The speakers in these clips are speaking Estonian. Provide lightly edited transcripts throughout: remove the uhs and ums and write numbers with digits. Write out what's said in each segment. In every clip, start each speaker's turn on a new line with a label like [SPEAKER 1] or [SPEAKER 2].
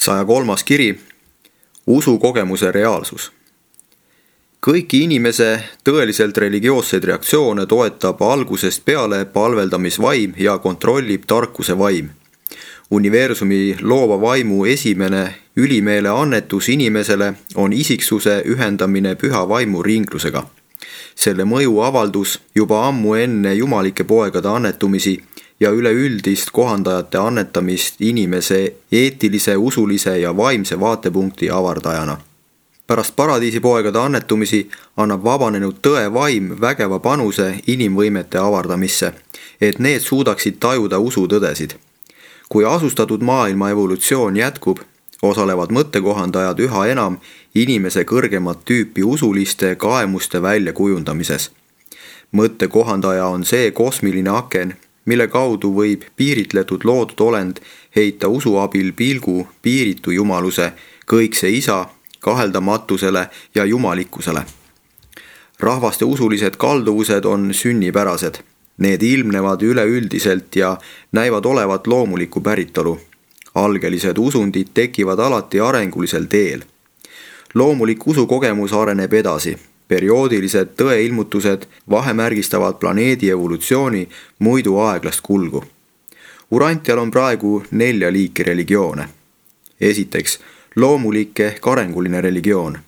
[SPEAKER 1] 103. kiri. Usukogemuse reaalsus. Kõiki inimese tõeliselt religioosseid reaktsioone toetab algusest peale palveldamisvaim ja kontrollib tarkuse vaim. Universumi loova vaimu esimene ülimeele annetus inimesele on isiksuse ühendamine püha vaimu ringlusega. Selle mõju avaldus juba ammu enne jumalike poegade annetumisi ja üleüldist kohandajate annetamist inimese eetilise, usulise ja vaimse vaatepunkti avardajana. Pärast paradiisipoegade annetumisi annab vabanenud tõe vaim vägeva panuse inimvõimete avardamisse, et need suudaksid tajuda usutõdesid. Kui asustatud maailma evolutsioon jätkub, osalevad mõttekohandajad üha enam inimese kõrgemat tüüpi usuliste kaemuste väljakujundamises. Mõttekohandaja on see kosmiline aken, mille kaudu võib piiritletud loodud olend heita usu abil pilgu piiritu jumaluse, kõikse isa, kaheldamatusele ja jumalikkusele. Rahvaste usulised kalduvused on sünnipärased. Need ilmnevad üleüldiselt ja näivad olevat loomulikku päritolu. Algelised usundid tekivad alati arengulisel teel. Loomulik usukogemus areneb edasi. Perioodilised tõeilmutused vahemärgistavad planeedi evolutsiooni muidu aeglast kulgu. Urantial on praegu 4 liiki religioone. Esiteks, loomulik ehk arenguline religioon.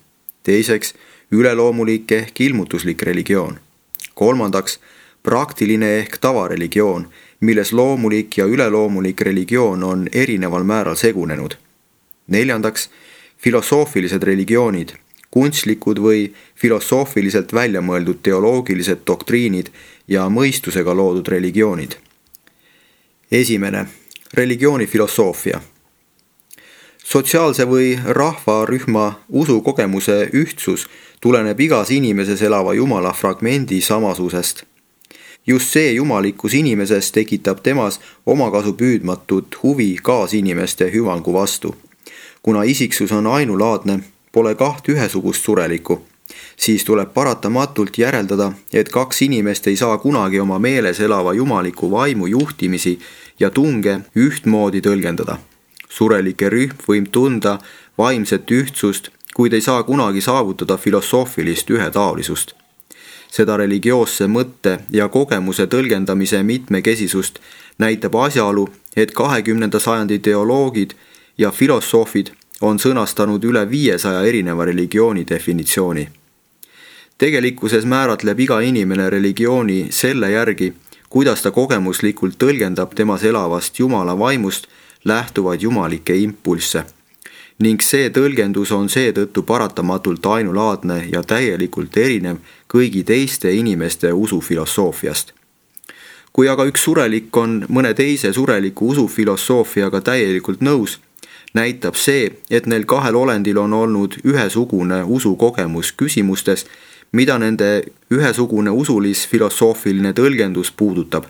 [SPEAKER 1] Teiseks, üleloomulik ehk ilmutuslik religioon. Kolmandaks, praktiline ehk tavareligioon, milles loomulik ja üleloomulik religioon on erineval määral segunenud. Neljandaks, filosoofilised religioonid, kunstlikud või filosoofiliselt väljamõeldud teoloogilised doktriinid ja mõistusega loodud religioonid. Esimene, religiooni filosoofia. Sotsiaalse või rahvarühma usukogemuse ühtsus tuleneb igas inimeses elava jumala fragmendi samasusest. Just see jumalikkus inimeses tekitab temas omakasu püüdmatut huvi kaasinimeste hüvangu vastu. Kuna isiksus on ainulaadne, pole 2 ühesugust surelikku, siis tuleb paratamatult järeldada, et 2 inimest ei saa kunagi oma meeles elava jumaliku vaimu juhtimisi ja tunge ühtmoodi tõlgendada. Surelike rühm võib tunda vaimset ühtsust, kuid ei saa kunagi saavutada filosoofilist ühetaolisust. Seda religioosse mõtte ja kogemuse tõlgendamise mitmekesisust näitab asjaolu, et 20. sajandi teoloogid ja filosoofid on sõnastanud üle 500 erineva religiooni definitsiooni. Tegelikkuses määratleb iga inimene religiooni selle järgi, kuidas ta kogemuslikult tõlgendab temas elavast jumala vaimust lähtuvaid jumalikke impulsse. Ning see tõlgendus on seetõttu paratamatult ainulaadne ja täielikult erinev kõigi teiste inimeste usufilosoofiast. Kui aga üks surelik on mõne teise sureliku usufilosoofiaga täielikult nõus, näitab see, et neil 2 olendil on olnud ühesugune usukogemus küsimustes, mida nende ühesugune usulis-filosoofiline tõlgendus puudutab.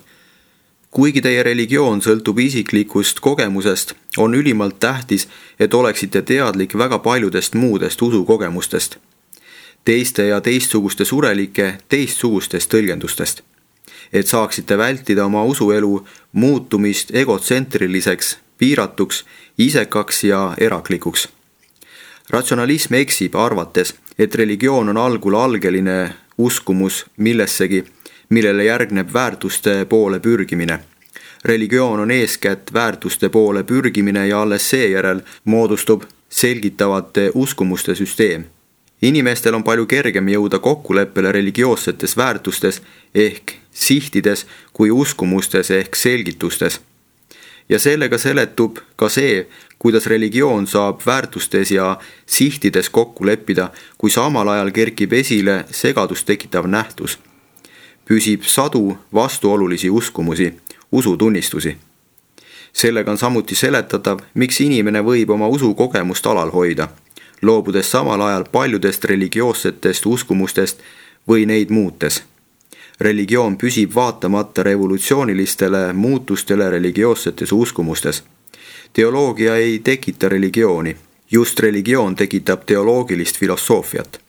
[SPEAKER 1] Kuigi teie religioon sõltub isiklikust kogemusest, on ülimalt tähtis, et oleksite teadlik väga paljudest muudest usukogemustest. Teiste ja teistsuguste surelike teistsugustest tõlgendustest. Et saaksite vältida oma usuelu muutumist egotsentriliseks, piiratuks, isekaks ja eraklikuks. Ratsionalism eksib arvates, et religioon on algul algeline uskumus millessegi, millele järgneb väärtuste poole pürgimine. Religioon on eeskätt väärtuste poole pürgimine ja alles seejärel moodustub selgitavate uskumuste süsteem. Inimestel on palju kergem jõuda kokkuleppele religioossetes väärtustes ehk sihtides kui uskumustes ehk selgitustes. Ja sellega seletub ka see, kuidas religioon saab väärtustes ja sihtides kokku leppida, kui samal ajal kerkib esile segadust tekitav nähtus. Püsib sadu vastuolulisi uskumusi, usutunnistusi. Sellega on samuti seletatav, miks inimene võib oma usukogemust alal hoida, loobudes samal ajal paljudest religioossetest uskumustest või neid muutes. Religioon püsib vaatamata revolutsioonilistele muutustele religioossetes uskumustes. Teoloogia ei tekita religiooni, just religioon tekitab teoloogilist filosoofiat.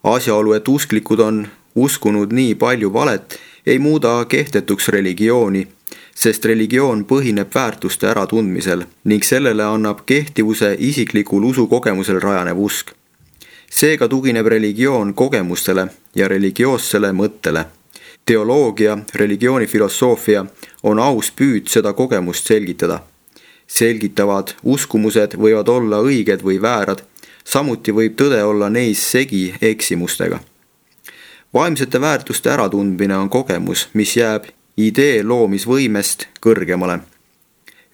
[SPEAKER 1] Asjaolu, et usklikud on uskunud nii palju valet, ei muuda kehtetuks religiooni, sest religioon põhineb väärtuste äratundmisel ning sellele annab kehtivuse isiklikul usukogemusel rajanev usk. Seega tugineb religioon kogemustele ja religioossele mõttele. Teoloogia, religioonifilosoofia on aus püüd seda kogemust selgitada. Selgitavad uskumused võivad olla õiged või väärad, samuti võib tõde olla neis segi eksimustega. Vaimsete väärtuste äratundmine on kogemus, mis jääb idee loomisvõimest kõrgemale.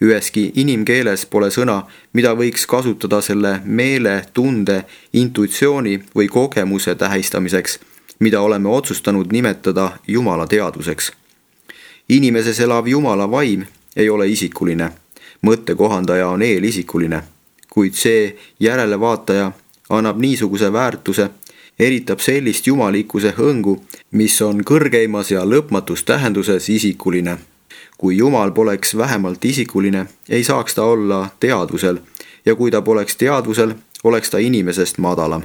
[SPEAKER 1] Üheski inimkeeles pole sõna, mida võiks kasutada selle meele, tunde, intuitsiooni või kogemuse tähistamiseks, mida oleme otsustanud nimetada Jumala teadvuseks. Inimeses elav Jumala vaim ei ole isikuline, mõttekohandaja on eelisikuline, kuid see järelevaataja annab niisuguse väärtuse, eritab sellist jumalikkuse hõngu, mis on kõrgeimas ja lõpmatus tähenduses isikuline. Kui Jumal poleks vähemalt isikuline, ei saaks ta olla teadvusel ja kui ta poleks teadvusel, oleks ta inimesest madalam.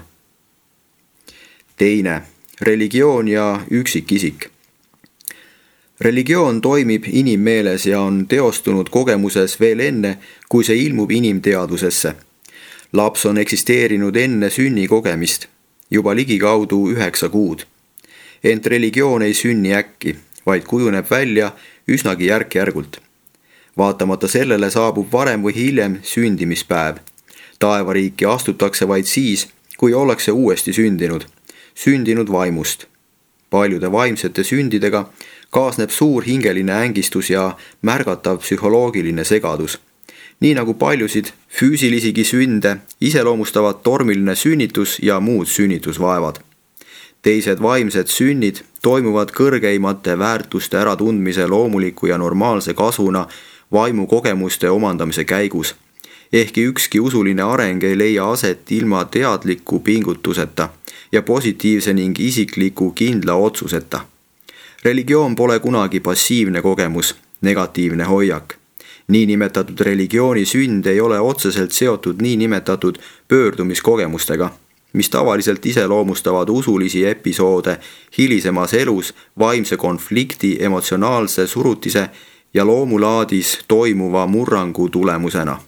[SPEAKER 1] Teine, religioon ja üksikisik. Religioon toimib inimmeeles ja on teostunud kogemuses veel enne, kui see ilmub inimteadvusesse. Laps on eksisteerinud enne sünni kogemist, juba ligikaudu 9 kuud. Ent religioon ei sünni äkki, vaid kujuneb välja üsnagi järk-järgult. Vaatamata sellele saabub varem või hiljem sündimispäev. Taevariiki astutakse vaid siis, kui ollakse uuesti sündinud vaimust. Paljude vaimsete sündidega kaasneb suur hingeline ängistus ja märgatav psühholoogiline segadus. Nii nagu paljusid füüsilisigi sünde iseloomustavad tormiline sünnitus ja muud sünnitusvaevad. Teised vaimsed sünnid toimuvad kõrgeimate väärtuste äratundmise loomuliku ja normaalse kasvuna vaimukogemuste omandamise käigus. Ehkki ükski usuline areng ei leia aset ilma teadliku pingutuseta ja positiivse ning isikliku kindla otsuseta. Religioon pole kunagi passiivne kogemus, negatiivne hoiak. Niinimetatud religiooni sünd ei ole otseselt seotud niinimetatud pöördumiskogemustega, mis tavaliselt iseloomustavad usulisi episoode hilisemas elus vaimse konflikti, emotsionaalse surutise ja loomulaadis toimuva murrangu tulemusena.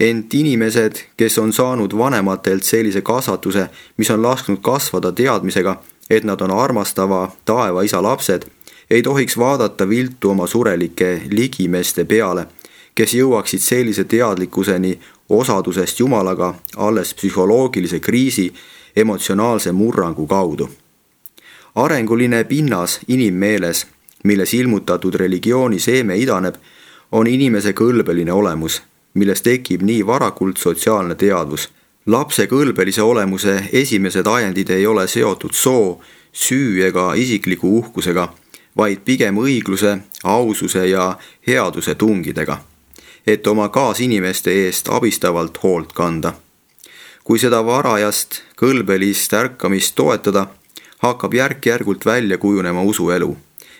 [SPEAKER 1] Ent inimesed, kes on saanud vanematelt sellise kasvatuse, mis on lasknud kasvada teadmisega, et nad on armastava taeva isa lapsed, ei tohiks vaadata viltu oma surelike ligimeste peale, kes jõuaksid sellise teadlikkuseni osadusest Jumalaga alles psühholoogilise kriisi emotsionaalse murrangu kaudu. Arenguline pinnas inimmeeles, milles ilmutatud religiooni seeme idaneb, on inimese kõlbeline olemus, milles tekib nii varakult sotsiaalne teadvus. Lapse kõlbelise olemuse esimesed ajendid ei ole seotud soo, süü ega isikliku uhkusega, vaid pigem õigluse, aususe ja headuse tungidega, et oma kaasinimeste eest abistavalt hoolt kanda. Kui seda varajast kõlbelist ärkamist toetada, hakkab järk-järgult välja kujunema usuelu,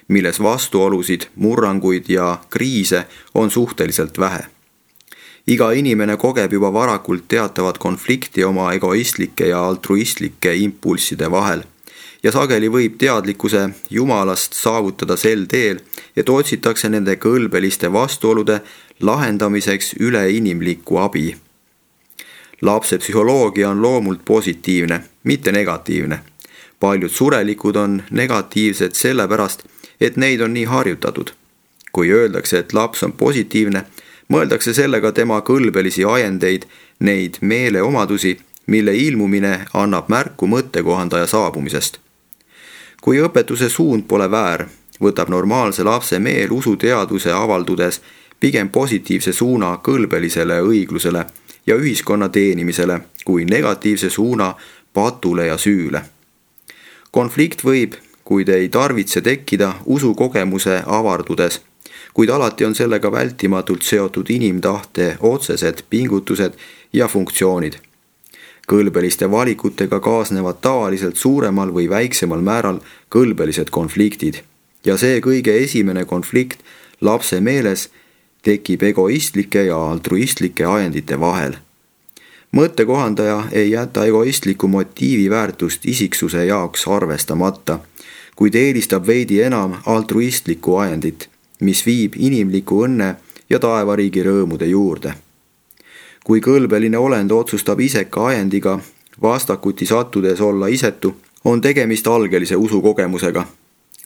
[SPEAKER 1] milles vastuolusid, murranguid ja kriise on suhteliselt vähe. Iga inimene kogeb juba varakult teatavat konflikti oma egoistlike ja altruistlike impulsside vahel ja sageli võib teadlikkuse Jumalast saavutada sel teel, et otsitakse nende kõlbeliste vastuolude lahendamiseks üleinimlikku abi. Lapse psühholoogia on loomult positiivne, mitte negatiivne. Paljud surelikud on negatiivsed sellepärast, et neid on nii harjutatud. Kui öeldakse, et laps on positiivne, mõeldakse sellega tema kõlbelisi ajendeid, neid meeleomadusi, mille ilmumine annab märku mõttekohandaja saabumisest. Kui õpetuse suund pole väär, võtab normaalse lapse meel usuteadvuse avaldudes pigem positiivse suuna kõlbelisele õiglusele ja ühiskonna teenimisele kui negatiivse suuna patule ja süüle. Konflikt võib, kuid ei tarvitse tekkida usukogemuse avardudes, kuid alati on sellega vältimatult seotud inimtahte otsesed pingutused ja funktsioonid. Kõlbeliste valikutega kaasnevad tavaliselt suuremal või väiksemal määral kõlbelised konfliktid ja see kõige esimene konflikt lapse meeles tekib egoistlike ja altruistlike ajendite vahel. Mõttekohandaja ei jäta egoistliku motiivi väärtust isiksuse jaoks arvestamata, kuid eelistab veidi enam altruistlikku ajendit, mis viib inimliku õnne ja taevariigi rõõmude juurde. Kui kõlbeline olend otsustab iseka ajendiga vastakuti sattudes olla isetu, on tegemist algelise usukogemusega.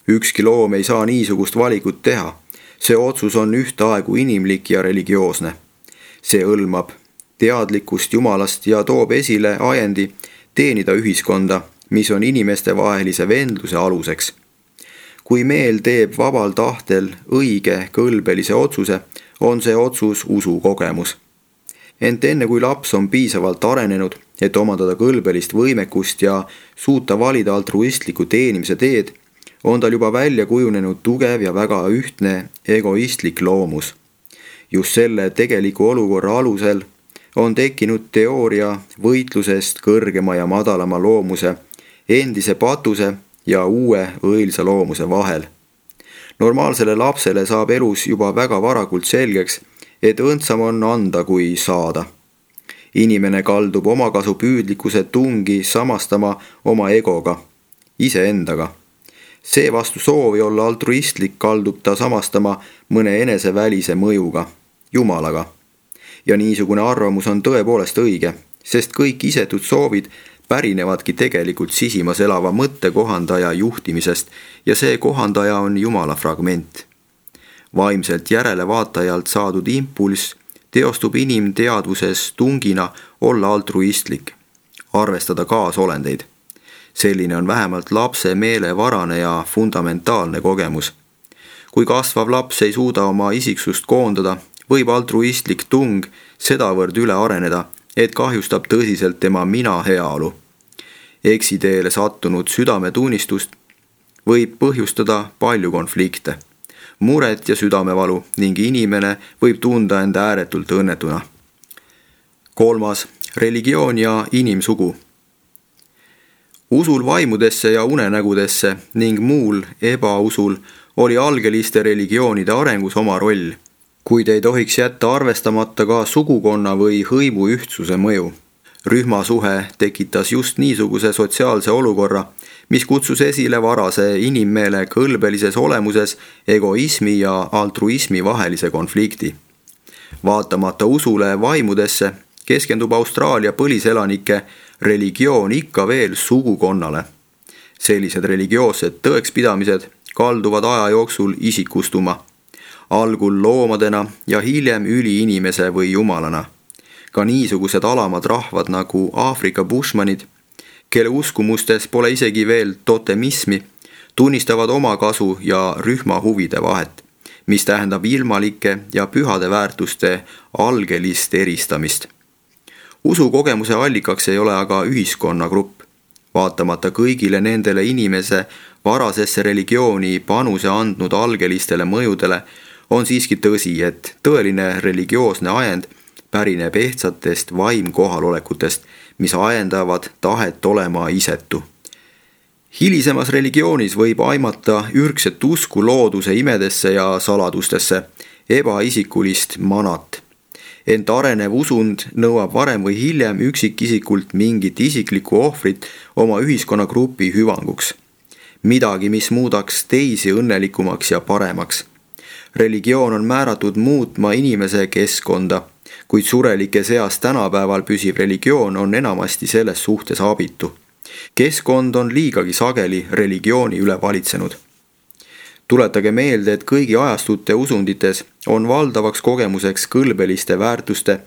[SPEAKER 1] Ükski loom ei saa niisugust valikut teha. See otsus on ühtaegu inimlik ja religioosne. See hõlmab teadlikkust Jumalast ja toob esile ajendi teenida ühiskonda, mis on inimeste vahelise vendluse aluseks. Kui meel teeb vabal tahtel õige kõlbelise otsuse, on see otsus usukogemus. Ent enne kui laps on piisavalt arenenud, et omandada kõlbelist võimekust ja suuta valida altruistliku teenimise teed, on tal juba välja kujunenud tugev ja väga ühtne egoistlik loomus. Just selle tegeliku olukorra alusel on tekkinud teooria võitlusest kõrgema ja madalama loomuse, endise patuse ja uue õilsa loomuse vahel. Normaalsele lapsele saab elus juba väga varakult selgeks, et õndsam on anda kui saada. Inimene kaldub omakasupüüdlikkuse tungi samastama oma egoga, iseendaga. Seevastu soovi olla altruistlik kaldub ta samastama mõne enesevälise mõjuga, Jumalaga. Ja niisugune arvamus on tõepoolest õige, sest kõik isetud soovid pärinevadki tegelikult sisimas elava mõttekohandaja juhtimisest ja see kohandaja on Jumala fragment. Vaimselt järelevaatajalt saadud impulss teostub inimteadvuses tungina olla altruistlik, arvestada kaasolendeid. Selline on vähemalt lapse meelevarane ja fundamentaalne kogemus. Kui kasvav laps ei suuda oma isiksust koondada, võib altruistlik tung sedavõrd üle areneda, et kahjustab tõsiselt tema mina heaolu. Eksiteele sattunud südametunnistust võib põhjustada palju konflikte, muret ja südamevalu ning inimene võib tunda enda ääretult õnnetuna. 3. Religioon ja inimsugu. Usul vaimudesse ja unenägudesse ning muul ebausul oli algeliste religioonide arengus oma roll, kuid ei tohiks jätta arvestamata ka sugukonna või hõimu ühtsuse mõju. Rühmasuhe tekitas just niisuguse sotsiaalse olukorra, mis kutsus esile varase inimmeele kõlbelises olemuses egoismi ja altruismi vahelise konflikti. Vaatamata usule vaimudesse keskendub Austraalia põliselanike religioon ikka veel sugukonnale. Sellised religioossed tõekspidamised kalduvad aja jooksul isikustuma, algul loomadena ja hiljem üliinimese või jumalana. Ka niisugused alamad rahvad nagu Aafrika bushmanid, kelle uskumustes pole isegi veel totemismi, tunnistavad oma kasu ja rühma huvide vahet, mis tähendab ilmalike ja pühade väärtuste algelist eristamist. Usukogemuse allikaks ei ole aga ühiskonnagrupp. Vaatamata kõigile nendele inimese varasesse religiooni panuse andnud algelistele mõjudele on siiski tõsi, et tõeline religioosne ajend pärineb ehtsatest vaimkohalolekutest, mis ajendavad tahet olema isetu. Hilisemas religioonis võib aimata ürgset usku looduse imedesse ja saladustesse, ebaisikulist manat. Ent arenev usund nõuab varem või hiljem üksikisikult mingit isiklikku ohvrit oma ühiskonnagrupi hüvanguks. Midagi, mis muudaks teisi õnnelikumaks ja paremaks. Religioon on määratud muutma inimese keskkonda, kuid surelike seas tänapäeval püsiv religioon on enamasti selles suhtes abitu. Keskkond on liigagi sageli religiooni üle valitsenud. Tuletage meelde, et kõigi ajastute usundites on valdavaks kogemuseks kõlbeliste väärtuste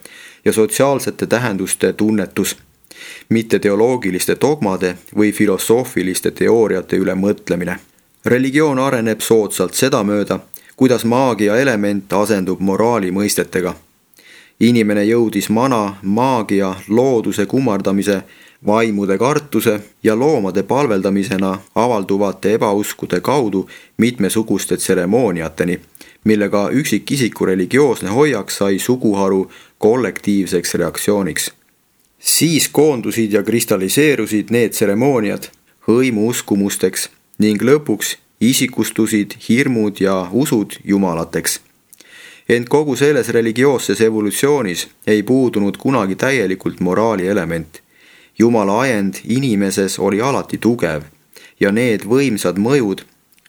[SPEAKER 1] ja sotsiaalsete tähenduste tunnetus, mitte teoloogiliste dogmade või filosoofiliste teooriate üle mõtlemine. Religioon areneb soodsalt sedamööda, kuidas maagia element asendub moraali mõistetega. Inimene jõudis maagia, looduse kummardamise, vaimude kartuse ja loomade palveldamisena avalduvate ebauskude kaudu mitmesuguste tseremooniateni, millega üksikisiku religioosne hoiak sai suguharu kollektiivseks reaktsiooniks. Siis koondusid ja kristalliseerusid need tseremooniad hõimu uskumusteks ning lõpuks isikustusid hirmud ja usud jumalateks. Ent kogu selles religioosses evolutsioonis ei puudunud kunagi täielikult moraali element. Jumala ajend inimeses oli alati tugev ja need võimsad mõjud,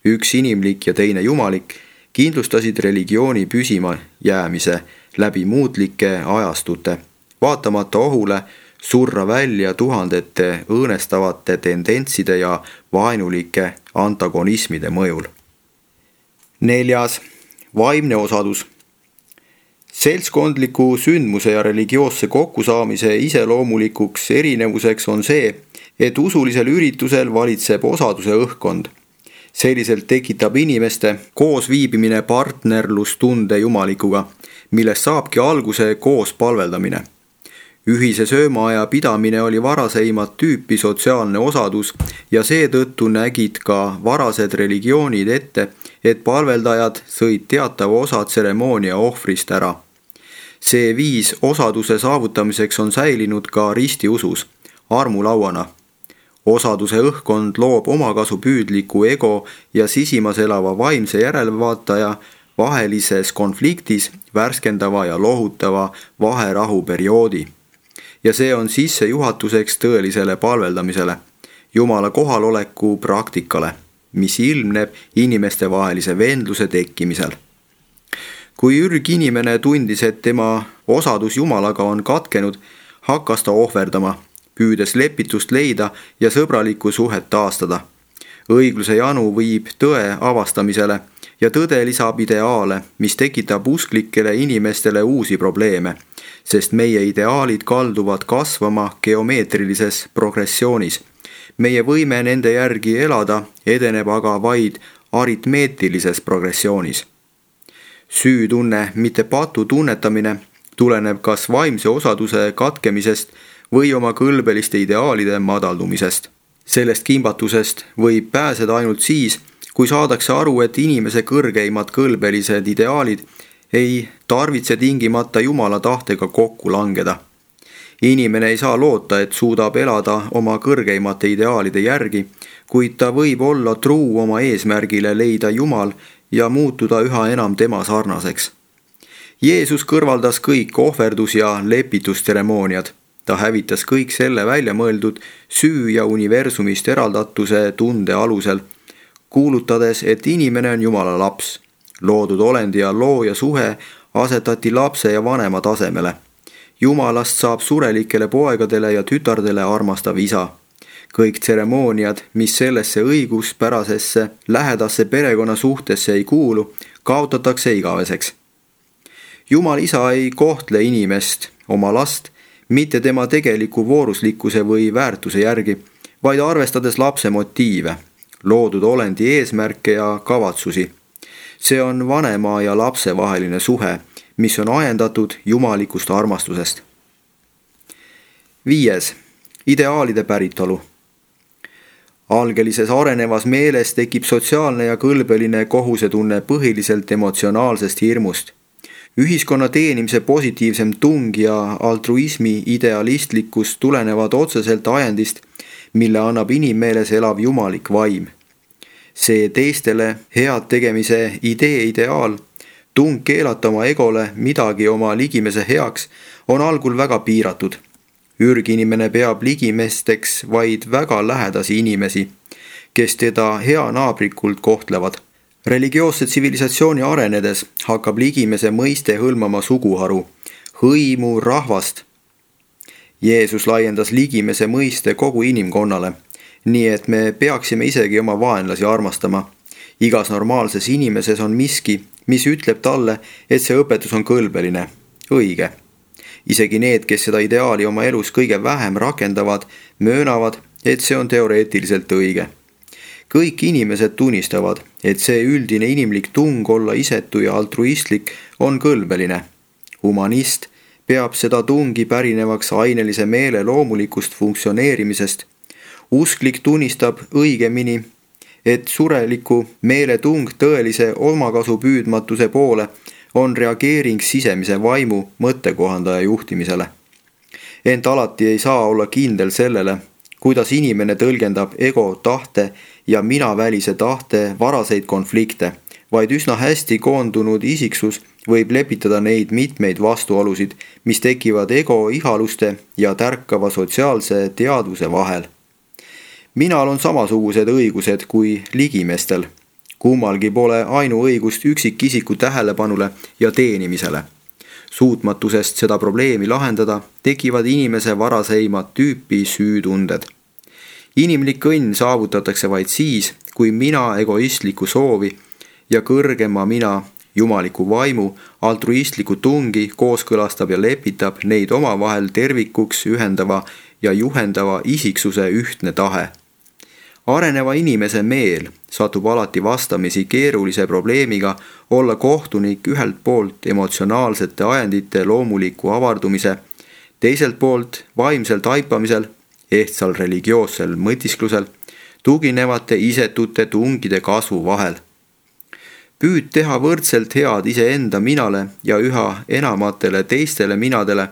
[SPEAKER 1] üks inimlik ja teine jumalik, kindlustasid religiooni püsima jäämise läbi muutlike ajastute, vaatamata ohule surra välja tuhandete õõnestavate tendentside ja vaenulike antagonismide mõjul. 4. Vaimne osadus. Seltskondliku sündmuse ja religioosse kokkusaamise iseloomulikuks erinevuseks on see, et usulisel üritusel valitseb osaduse õhkkond. Selliselt tekitab inimeste koosviibimine partnerlustunde jumalikuga, millest saabki alguse koos palveldamine. Ühise söömaaja pidamine oli varaseimat tüüpi sotsiaalne osadus ja seetõttu nägid ka varased religioonid ette, et palveldajad sõid teatava osa tseremoonia ohvrist ära. See viis osaduse saavutamiseks on säilinud ka ristiusus, armulauana. Osaduse õhkkond loob omakasupüüdliku ego ja sisimas elava vaimse järelevaataja vahelises konfliktis värskendava ja lohutava vaherahuperioodi. Ja see on sissejuhatuseks tõelisele palveldamisele, Jumala kohaloleku praktikale, mis ilmneb inimeste vahelise vendluse tekkimisel. Kui ürginimene tundis, et tema osadus Jumalaga on katkenud, hakkas ta ohverdama, püüdes lepitust leida ja sõbralikku suhet taastada. Õigluse janu viib tõe avastamisele ja tõde lisab ideaale, mis tekitab usklikele inimestele uusi probleeme, sest meie ideaalid kalduvad kasvama geomeetrilises progressioonis. Meie võime nende järgi elada edeneb aga vaid aritmeetilises progressioonis. Süütunne, mitte patu tunnetamine, tuleneb kas vaimse osaduse katkemisest või oma kõlbeliste ideaalide madaldumisest. Sellest kimbatusest võib pääseda ainult siis, kui saadakse aru, et inimese kõrgeimad kõlbelised ideaalid ei tarvitse tingimata Jumala tahtega kokku langeda. Inimene ei saa loota, et suudab elada oma kõrgeimate ideaalide järgi, kuid ta võib olla truu oma eesmärgile leida Jumal ja muutuda üha enam tema sarnaseks. Jeesus kõrvaldas kõik ohverdus- ja lepitustseremooniad. Ta hävitas kõik selle välja mõeldud süü ja universumist eraldatuse tunde alusel, kuulutades, et inimene on Jumala laps. Loodud olend ja looja suhe asetati lapse ja vanema tasemele. Jumalast saab surelikele poegadele ja tütardele armastav isa. Kõik tseremooniad, mis sellesse õiguspärasesse lähedasse perekonna suhtesse ei kuulu, kaotatakse igaveseks. Jumal isa ei kohtle inimest, oma last, mitte tema tegeliku vooruslikkuse või väärtuse järgi, vaid arvestades lapse motiive, loodud olendi eesmärke ja kavatsusi. See on vanema ja lapse vaheline suhe, mis on ajendatud jumalikust armastusest. 5. Ideaalide päritolu. Algelises arenevas meeles tekib sotsiaalne ja kõlbeline kohusetunne põhiliselt emotsionaalsest hirmust. Ühiskonna teenimise positiivsem tung ja altruismi idealistlikkus tulenevad otseselt ajendist, mille annab inimmeeles elav jumalik vaim. See teistele head tegemise ideaal, tung keelata oma egole midagi oma ligimese heaks, on algul väga piiratud. Ürginimene peab ligimesteks vaid väga lähedasi inimesi, kes teda heanaabrikult kohtlevad. Religioosse tsivilisatsiooni arenedes hakkab ligimese mõiste hõlmama suguharu, hõimu, rahvast. Jeesus laiendas ligimese mõiste kogu inimkonnale, nii et me peaksime isegi oma vaenlasi armastama. Igas normaalses inimeses on miski, mis ütleb talle, et see õpetus on kõlbeline, õige. Isegi need, kes seda ideaali oma elus kõige vähem rakendavad, möönavad, et see on teoreetiliselt õige. Kõik inimesed tunnistavad, et see üldine inimlik tung olla isetu ja altruistlik on kõlbeline. Humanist peab seda tungi pärinevaks ainelise meele loomulikust funktsioneerimisest. Usklik tunnistab õigemini, et sureliku meele tung tõelise omakasupüüdmatuse poole on reageering sisemise vaimu mõttekohandaja juhtimisele. Ent alati ei saa olla kindel sellele, kuidas inimene tõlgendab ego tahte ja minavälise tahte varaseid konflikte, vaid üsna hästi koondunud isiksus võib lepitada neid mitmeid vastuolusid, mis tekivad ego ihaluste ja tärkava sotsiaalse teadvuse vahel. Minal on samasugused õigused kui ligimestel. Kummalgi pole ainuõigust üksikisiku tähelepanule ja teenimisele. Suutmatusest seda probleemi lahendada tekivad inimese varaseimat tüüpi süütunded. Inimlik õnn saavutatakse vaid siis, kui mina egoistlikku soovi ja kõrgema mina jumaliku vaimu altruistliku tungi kooskõlastab ja lepitab neid omavahel tervikuks ühendava ja juhendava isiksuse ühtne tahe. Areneva inimese meel satub alati vastamisi keerulise probleemiga olla kohtunik ühelt poolt emotsionaalsete ajendite loomuliku avardumise, teiselt poolt vaimsel taipamisel, ehtsal religioossel mõtisklusel, tuginevate isetute tungide kasvu vahel. Püüd teha võrdselt head iseenda minale ja üha enamatele teistele minadele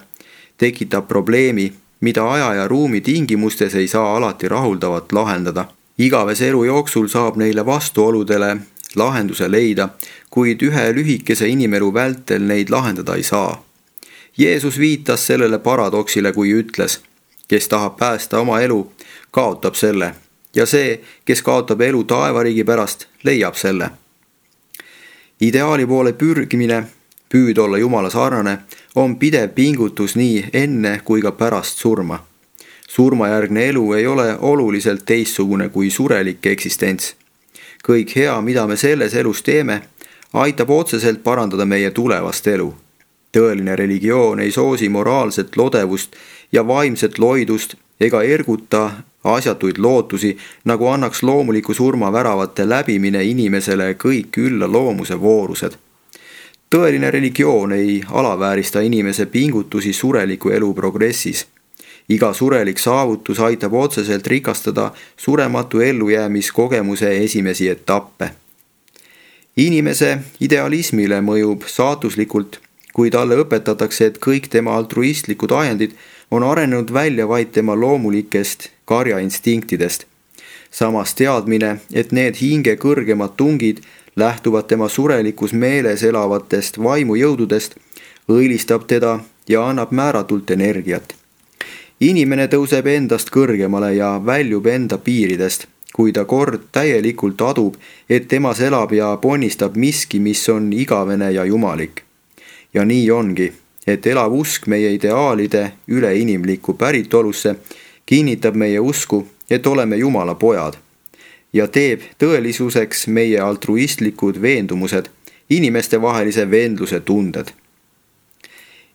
[SPEAKER 1] tekitab probleemi, mida aja ja ruumi tingimustes ei saa alati rahuldavat lahendada. Igavese elu jooksul saab neile vastuoludele lahenduse leida, kuid ühe lühikese inimelu vältel neid lahendada ei saa. Jeesus viitas sellele paradoksile, kui ütles, kes tahab päästa oma elu, kaotab selle, ja see, kes kaotab elu taevariigi pärast, leiab selle. Ideaali poole pürgimine, püüd olla Jumala sarnane, on pidev pingutus nii enne kui ka pärast surma. Surmajärgne elu ei ole oluliselt teistsugune kui surelik eksistents. Kõik hea, mida me selles elus teeme, aitab otseselt parandada meie tulevast elu. Tõeline religioon ei soosi moraalset lodevust ja vaimset loidust ega erguta asjatuid lootusi, nagu annaks loomuliku surma väravate läbimine inimesele kõik ülla loomuse voorused. Tõeline religioon ei alaväärista inimese pingutusi sureliku elu progressis. Iga surelik saavutus aitab otseselt rikastada surematu ellujäämiskogemuse esimesi etappe. Inimese idealismile mõjub saatuslikult, kui talle õpetatakse, et kõik tema altruistlikud ajendid on arenenud välja vaid tema loomulikest karjainstinktidest. Samas teadmine, et need hinge kõrgemad tungid lähtuvad tema surelikus meeles elavatest vaimujõududest, õilistab teda ja annab määratult energiat. Inimene tõuseb endast kõrgemale ja väljub enda piiridest, kui ta kord täielikult adub, et temas elab ja ponnistab miski, mis on igavene ja jumalik. Ja nii ongi, et elav usk meie ideaalide üleinimlikku päritolusse kinnitab meie usku, et oleme Jumala pojad ja teeb tõelisuseks meie altruistlikud veendumused, inimestevahelise vendluse tunded.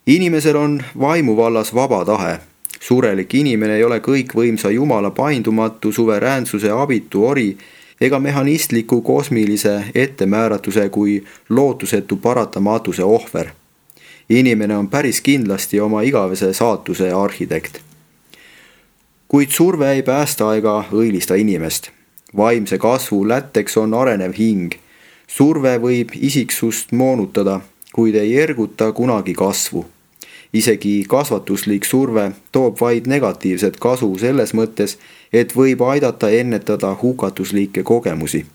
[SPEAKER 1] Inimesel on vaimu vallas vaba tahe. Surelik inimene ei ole kõikvõimsa Jumala paindumatu suveräänsuse abitu ori ega mehhanistliku kosmilise ettemääratuse kui lootusetu paratamatuse ohver. Inimene on päris kindlasti oma igavese saatuse arhitekt. Kuid surve ei päästa ega õilista inimest. Vaimse kasvu lätteks on arenev hing. Surve võib isiksust moonutada, kuid ei erguta kunagi kasvu. Isegi kasvatuslik surve toob vaid negatiivset kasu selles mõttes, et võib aidata ennetada hukatuslikke kogemusi.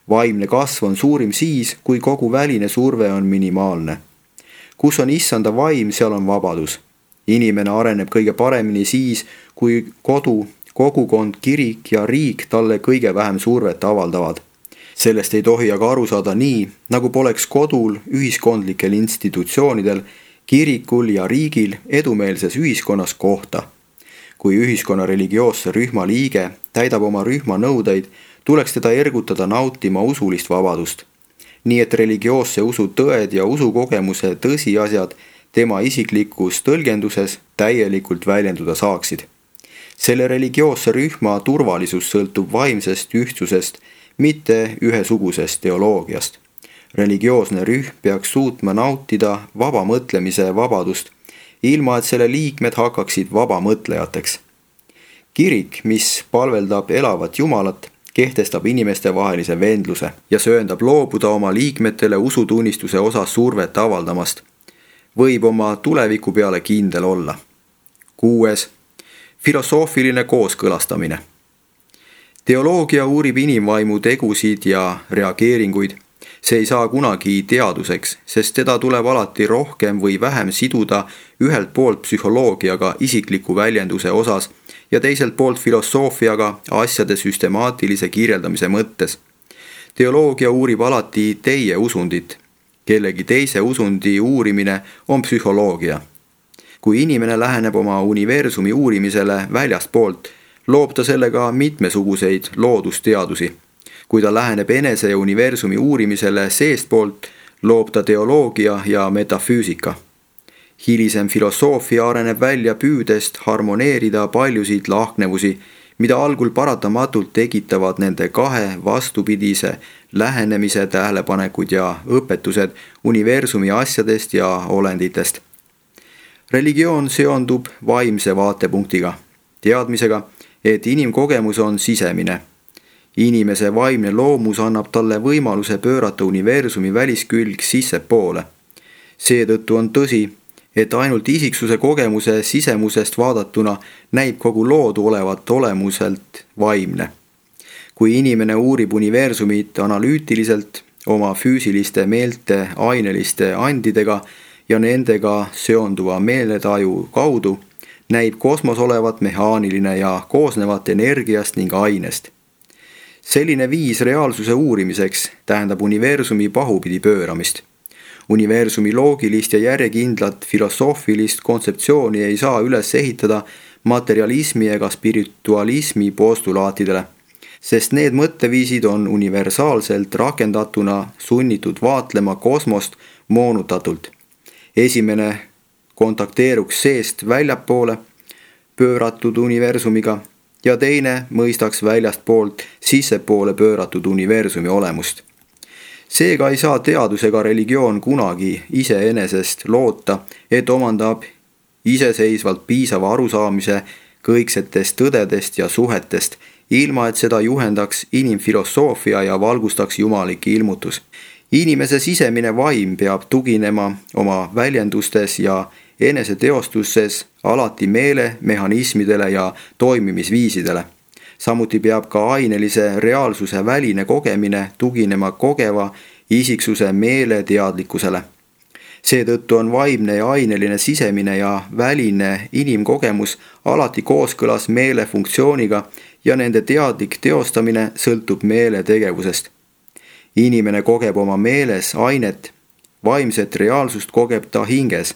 [SPEAKER 1] Vaimne kasv on suurim siis, kui kogu väline surve on minimaalne. Kus on issanda vaim, seal on vabadus. Inimene areneb kõige paremini siis, kui kodu, kogukond, kirik ja riik talle kõige vähem survet avaldavad. Sellest ei tohi aga aru saada nii, nagu poleks kodul, ühiskondlikel institutsioonidel, kirikul ja riigil edumeelses ühiskonnas kohta. Kui ühiskonna religioosse rühma liige täidab oma rühma nõudeid, tuleks teda ergutada nautima usulist vabadust. Nii et religioosse usu tõed ja usukogemuse tõsiasjad tema isiklikus tõlgenduses täielikult väljenduda saaksid. Selle religioosse rühma turvalisus sõltub vaimsest ühtsusest, mitte ühesugusest teoloogiast. Religioosne rühm peaks suutma nautida vaba mõtlemise vabadust, ilma et selle liikmed hakkaksid vabamõtlejateks. Kirik, mis palveldab elavat Jumalat, kehtestab inimestevahelise vendluse ja sööndab loobuda oma liikmetele usutunnistuse osas survet avaldamast. Võib oma tuleviku peale kindel olla. 6. Filosoofiline kooskõlastamine. Teoloogia uurib inimvaimu tegusid ja reageeringuid. See ei saa kunagi teaduseks, sest teda tuleb alati rohkem või vähem siduda ühelt poolt psühholoogiaga isikliku väljenduse osas ja teiselt poolt filosoofiaga asjade süstemaatilise kirjeldamise mõttes. teoloogia uurib alati teie usundit. Kellegi teise usundi uurimine on psühholoogia. Kui inimene läheneb oma universumi uurimisele väljastpoolt, loob ta sellega mitmesuguseid loodusteadusi. Kui ta läheneb enese ja universumi uurimisele seestpoolt, loob ta teoloogia ja metafüüsika. Hilisem filosoofia areneb välja püüdest harmoneerida paljusid lahknevusi, mida algul paratamatult tekitavad nende kahe vastupidise lähenemise tähelepanekud ja õpetused universumi asjadest ja olenditest. Religioon seondub vaimse vaatepunktiga, teadmisega, et inimkogemus on sisemine. Inimese vaimne loomus annab talle võimaluse pöörata universumi väliskülg sissepoole. Seetõttu on tõsi, et ainult isiksuse kogemuse sisemusest vaadatuna näib kogu loodu olevat olemuselt vaimne. Kui inimene uurib universumit analüütiliselt oma füüsiliste meelte aineliste andidega ja nendega seonduva meeletaju kaudu, näib kosmos olevat mehaaniline ja koosnevat energiast ning ainest. Selline viis reaalsuse uurimiseks tähendab universumi pahupidi pööramist. Universumi loogilist ja järjekindlat filosoofilist kontseptsiooni ei saa üles ehitada materialismi ega spiritualismi postulaatidele, sest need mõtteviisid on universaalselt rakendatuna sunnitud vaatlema kosmost moonutatult. Esimene kontakteeruks seest väljapoole pööratud universumiga ja teine mõistaks väljastpoolt sissepoole pööratud universumi olemust. Seega ei saa teadus ega religioon kunagi iseenesest loota, et omandab iseseisvalt piisava arusaamise kõiksetest tõdedest ja suhetest, ilma et seda juhendaks inimfilosoofia ja valgustaks jumalik ilmutus. Inimese sisemine vaim peab tuginema oma väljendustes ja eneseteostustes alati meele, mehhanismidele ja toimimisviisidele. Samuti peab ka ainelise reaalsuse väline kogemine tuginema kogeva isiksuse meeleteadlikkusele. Seetõttu on vaimne ja aineline sisemine ja väline inimkogemus alati kooskõlas meele funktsiooniga ja nende teadlik teostamine sõltub meele tegevusest. Inimene kogeb oma meeles ainet, vaimset reaalsust kogeb ta hinges,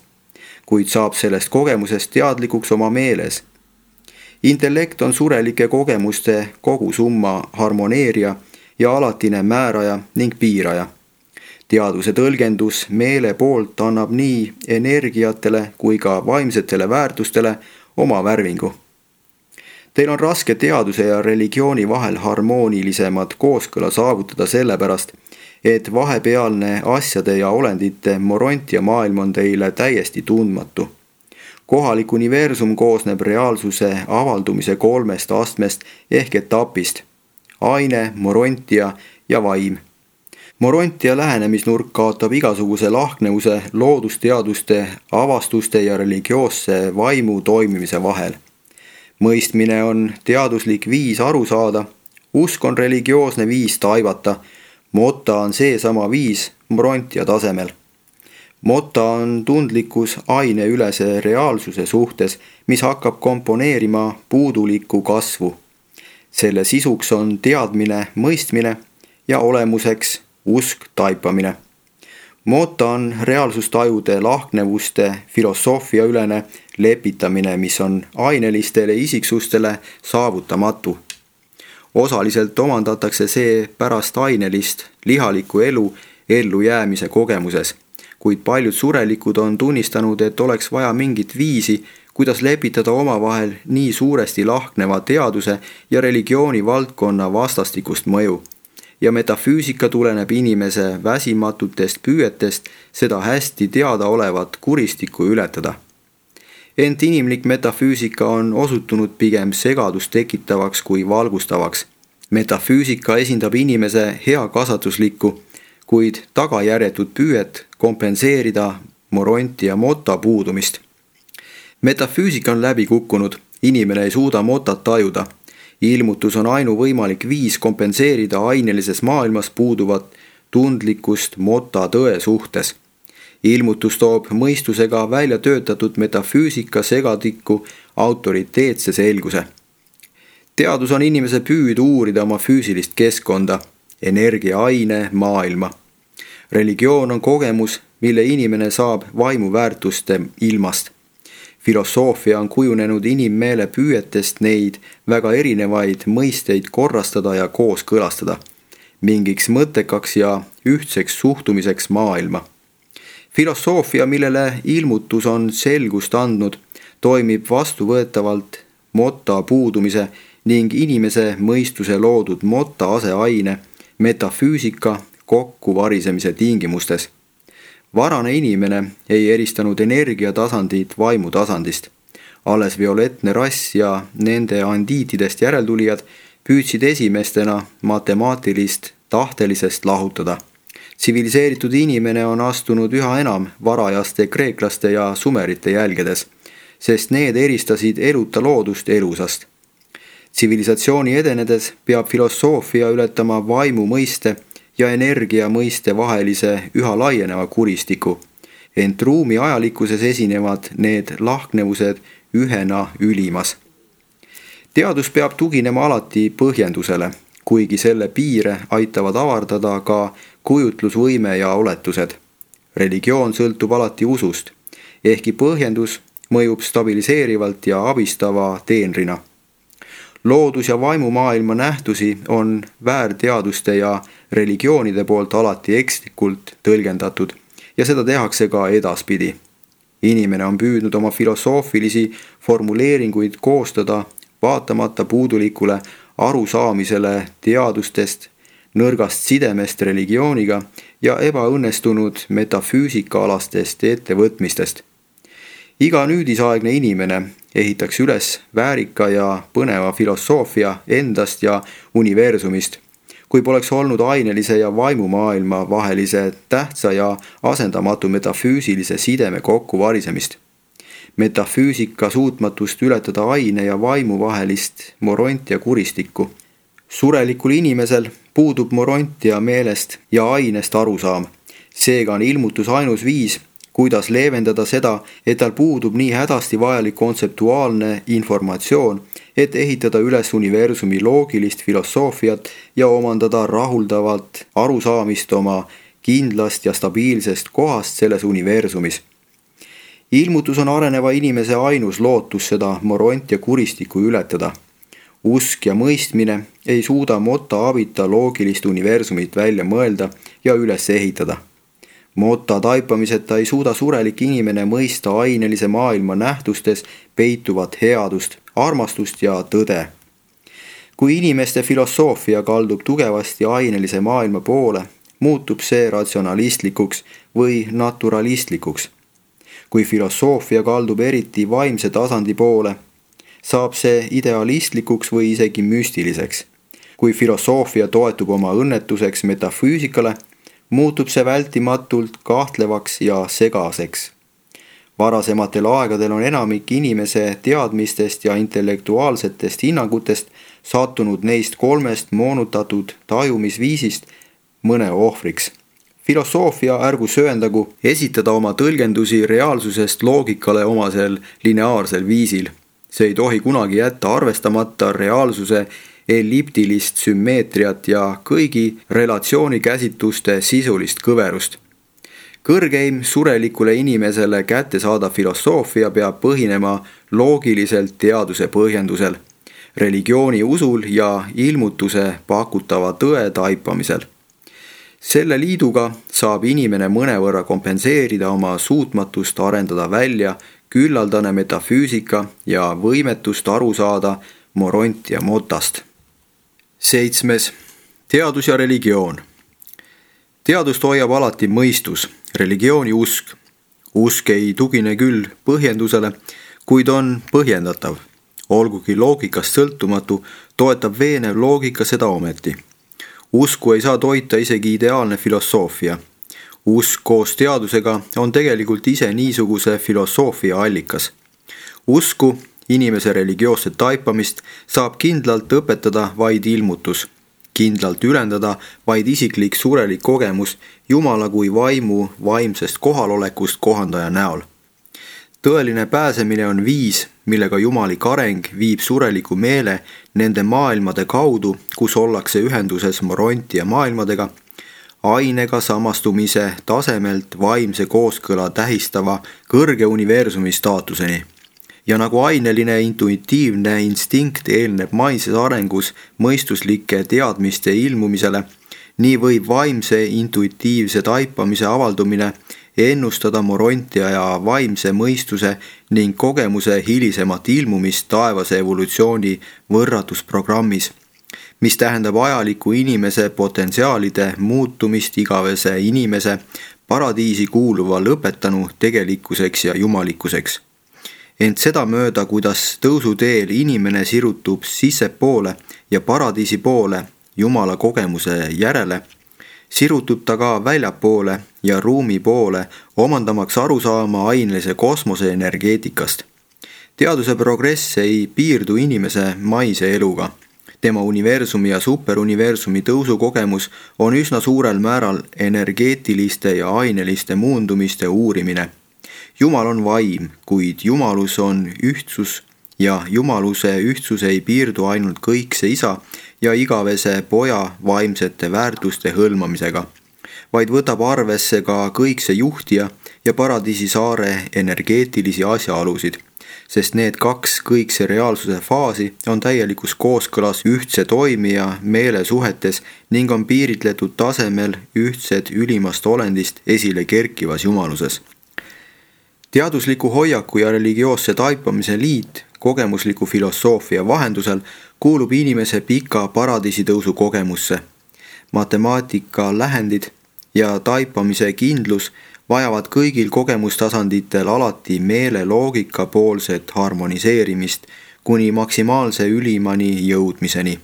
[SPEAKER 1] kuid saab sellest kogemusest teadlikuks oma meeles. Intellekt on surelike kogemuste kogusumma harmoneerija ja alatine määraja ning piiraja. Teaduse tõlgendus meele poolt annab nii energiatele kui ka vaimsetele väärtustele oma värvingu. Teil on raske teaduse ja religiooni vahel harmoonilisemat kooskõla saavutada sellepärast, et vahepealne asjade ja olendite morontia maailm on teile täiesti tundmatu. Kohalik universum koosneb reaalsuse avaldumise 3 astmest ehk etapist: aine, morontia ja vaim. Morontia lähenemisnurk kaotab igasuguse lahknevuse loodusteaduste, avastuste ja religioosse vaimu toimimise vahel. Mõistmine on teaduslik viis aru saada, usk on religioosne viis taivata, mota on seesama viis morontia tasemel. Mota on tundlikkus aineülese reaalsuse suhtes, mis hakkab komponeerima puudulikku kasvu. Selle sisuks on teadmine, mõistmine ja olemuseks usk, taipamine. Mota on reaalsustajude lahknevuste filosoofiaülene lepitamine, mis on ainelistele isiksustele saavutamatu. Osaliselt omandatakse see pärast ainelist, lihalikku elu ellujäämise kogemuses, kuid paljud surelikud on tunnistanud, et oleks vaja mingit viisi, kuidas lepitada omavahel nii suuresti lahkneva teaduse ja religiooni valdkonna vastastikust mõju. Ja metafüüsika tuleneb inimese väsimatutest püüetest seda hästi teada olevat kuristikku ületada. Ent inimlik metafüüsika on osutunud pigem segadust tekitavaks kui valgustavaks. Metafüüsika esindab inimese hea kasvatuslikku, kuid tagajärjetut püüet kompenseerida moronti ja mota puudumist. Metafüüsika on läbi kukkunud, inimene ei suuda motat tajuda. Ilmutus on ainuvõimalik viis kompenseerida ainelises maailmas puuduvat tundlikkust mota tõe suhtes. Ilmutus toob mõistusega välja töötatud metafüüsika segadikku autoriteetse selguse. Teadus on inimese püüd uurida oma füüsilist keskkonda. energiaaine maailma. Religioon on kogemus, mille inimene saab vaimuväärtuste ilmast. Filosoofia on kujunenud inimmeele püüetest neid väga erinevaid mõisteid korrastada ja kooskõlastada, mingiks mõttekaks ja ühtseks suhtumiseks maailma. Filosoofia, millele ilmutus on selgust andnud, toimib vastuvõetavalt motta puudumise ning inimese mõistuse loodud motta aseaine metafüüsika kokkuvarisemise tingimustes. Varane inimene ei eristanud energiatasandit vaimutasandist. Alles violettne rass ja nende andiitidest järeltulijad püüdsid esimestena matemaatilist tahtelisest lahutada. Tsiviliseeritud inimene on astunud üha enam varajaste kreeklaste ja sumerite jälgedes, sest need eristasid eluta loodust elusast. Tsivilisatsiooni edenedes peab filosoofia ületama vaimu mõiste ja energia mõiste vahelise üha laieneva kuristiku, ent ruumi ajalikkuses esinevad need lahknevused ühena ülimas. Teadus peab tuginema alati põhjendusele, kuigi selle piire aitavad avardada ka kujutlusvõime ja oletused. Religioon sõltub alati usust, ehkki põhjendus mõjub stabiliseerivalt ja abistava teenrina. Loodus- ja vaimumaailma nähtusi on väärteaduste ja religioonide poolt alati ekslikult tõlgendatud ja seda tehakse ka edaspidi. Inimene on püüdnud oma filosoofilisi formuleeringuid koostada vaatamata puudulikule arusaamisele teadustest, nõrgast sidemest religiooniga ja ebaõnnestunud metafüüsikaalastest ettevõtmistest. Iga nüüdisaegne inimene ehitaks üles väärika ja põneva filosoofia endast ja universumist, kui poleks olnud ainelise ja vaimumaailma vahelise tähtsa ja asendamatu metafüüsilise sideme kokkuvarisemist. Metafüüsika suutmatust ületada aine ja vaimu vahelist morontia kuristikku. Surelikul inimesel puudub morontia meelest ja ainest arusaam. Seega on ilmutus ainus viis, kuidas leevendada seda, et tal puudub nii hädasti vajalik kontseptuaalne informatsioon, et ehitada üles universumi loogilist filosoofiat ja omandada rahuldavat arusaamist oma kindlast ja stabiilsest kohast selles universumis. Ilmutus on areneva inimese ainus lootus seda morontia kuristikku ületada. Usk ja mõistmine ei suuda motta abita loogilist universumit välja mõelda ja üles ehitada. Motta taipamiseta ei suuda surelik inimene mõista ainelise maailma nähtustes peituvat headust, armastust ja tõde. Kui inimeste filosoofia kaldub tugevasti ainelise maailma poole, muutub see ratsionalistlikuks või naturalistlikuks. Kui filosoofia kaldub eriti vaimse tasandi poole, saab see idealistlikuks või isegi müstiliseks. Kui filosoofia toetub oma õnnetuseks metafüüsikale, muutub see vältimatult kahtlevaks ja segaseks. Varasematel aegadel on enamik inimese teadmistest ja intellektuaalsetest hinnangutest sattunud neist kolmest moonutatud tajumisviisist mõne ohvriks. Filosoofia ärgu sööndagu esitada oma tõlgendusi reaalsusest loogikale omasel lineaarsel viisil. See ei tohi kunagi jätta arvestamata reaalsuse elliptilist sümmeetriat ja kõigi relatsioonikäsitluste sisulist kõverust. Kõrgeim surelikule inimesele kättesaadav filosoofia peab põhinema loogiliselt teaduse põhjendusel, religiooni usul ja ilmutuse pakutava tõe taipamisel. Selle liiduga saab inimene mõnevõrra kompenseerida oma suutmatust arendada välja küllaldane metafüüsika ja võimetust aru saada morontia motast. 7. Teadus ja religioon. Teadust hoiab alati mõistus, religiooni usk. Usk ei tugine küll põhjendusele, kuid on põhjendatav. Olgugi loogikast sõltumatu, toetab veenev loogika seda ometi. Usku ei saa toita isegi ideaalne filosoofia. Usk koos teadusega on tegelikult ise niisuguse filosoofia allikas. Usku, inimese religioosset taipamist, saab kindlalt õpetada vaid ilmutus, kindlalt ülendada vaid isiklik surelik kogemus Jumala kui vaimu vaimsest kohalolekust kohandaja näol. Tõeline pääsemine on viis, millega jumalik areng viib sureliku meele nende maailmade kaudu, kus ollakse ühenduses morontia maailmadega, ainega samastumise tasemelt vaimse kooskõla tähistava kõrge universumi staatuseni. Ja nagu aineline intuitiivne instinkt eelneb maises arengus mõistuslike teadmiste ilmumisele, nii võib vaimse intuitiivse taipamise avaldumine ennustada morontia ja vaimse mõistuse ning kogemuse hilisemat ilmumist taevase evolutsiooni võrratusprogrammis, mis tähendab ajaliku inimese potentsiaalide muutumist igavese inimese paradiisi kuuluva lõpetanu tegelikkuseks ja jumalikkuseks. Ent seda mööda, kuidas tõusuteel inimene sirutub sissepoole ja paradiisi poole Jumala kogemuse järele, sirutub ta ka väljapoole ja ruumi poole, omandamaks arusaama ainelise kosmose energeetikast. Teaduse progress ei piirdu inimese maise eluga. Tema universumi ja superuniversumi tõusukogemus on üsna suurel määral energeetiliste ja aineliste muundumiste uurimine. Jumal on vaim, kuid jumalus on ühtsus ja jumaluse ühtsus ei piirdu ainult kõikse isa ja igavese poja vaimsete väärtuste hõlmamisega, vaid võtab arvesse ka kõikse juhtija ja paradiisi saare energeetilisi asjaolusid, sest need kaks kõikse reaalsuse faasi on täielikus kooskõlas ühtse toimija meelesuhetes ning on piiritletud tasemel ühtsed ülimast olendist esile kerkivas jumaluses. Teadusliku hoiaku ja religioosse taipamise liit kogemusliku filosoofia vahendusel kuulub inimese pika paradiisitõusu kogemusse. Matemaatika lähendid ja taipamise kindlus vajavad kõigil kogemustasanditel alati meele loogika poolset harmoniseerimist kuni maksimaalse ülimani jõudmiseni.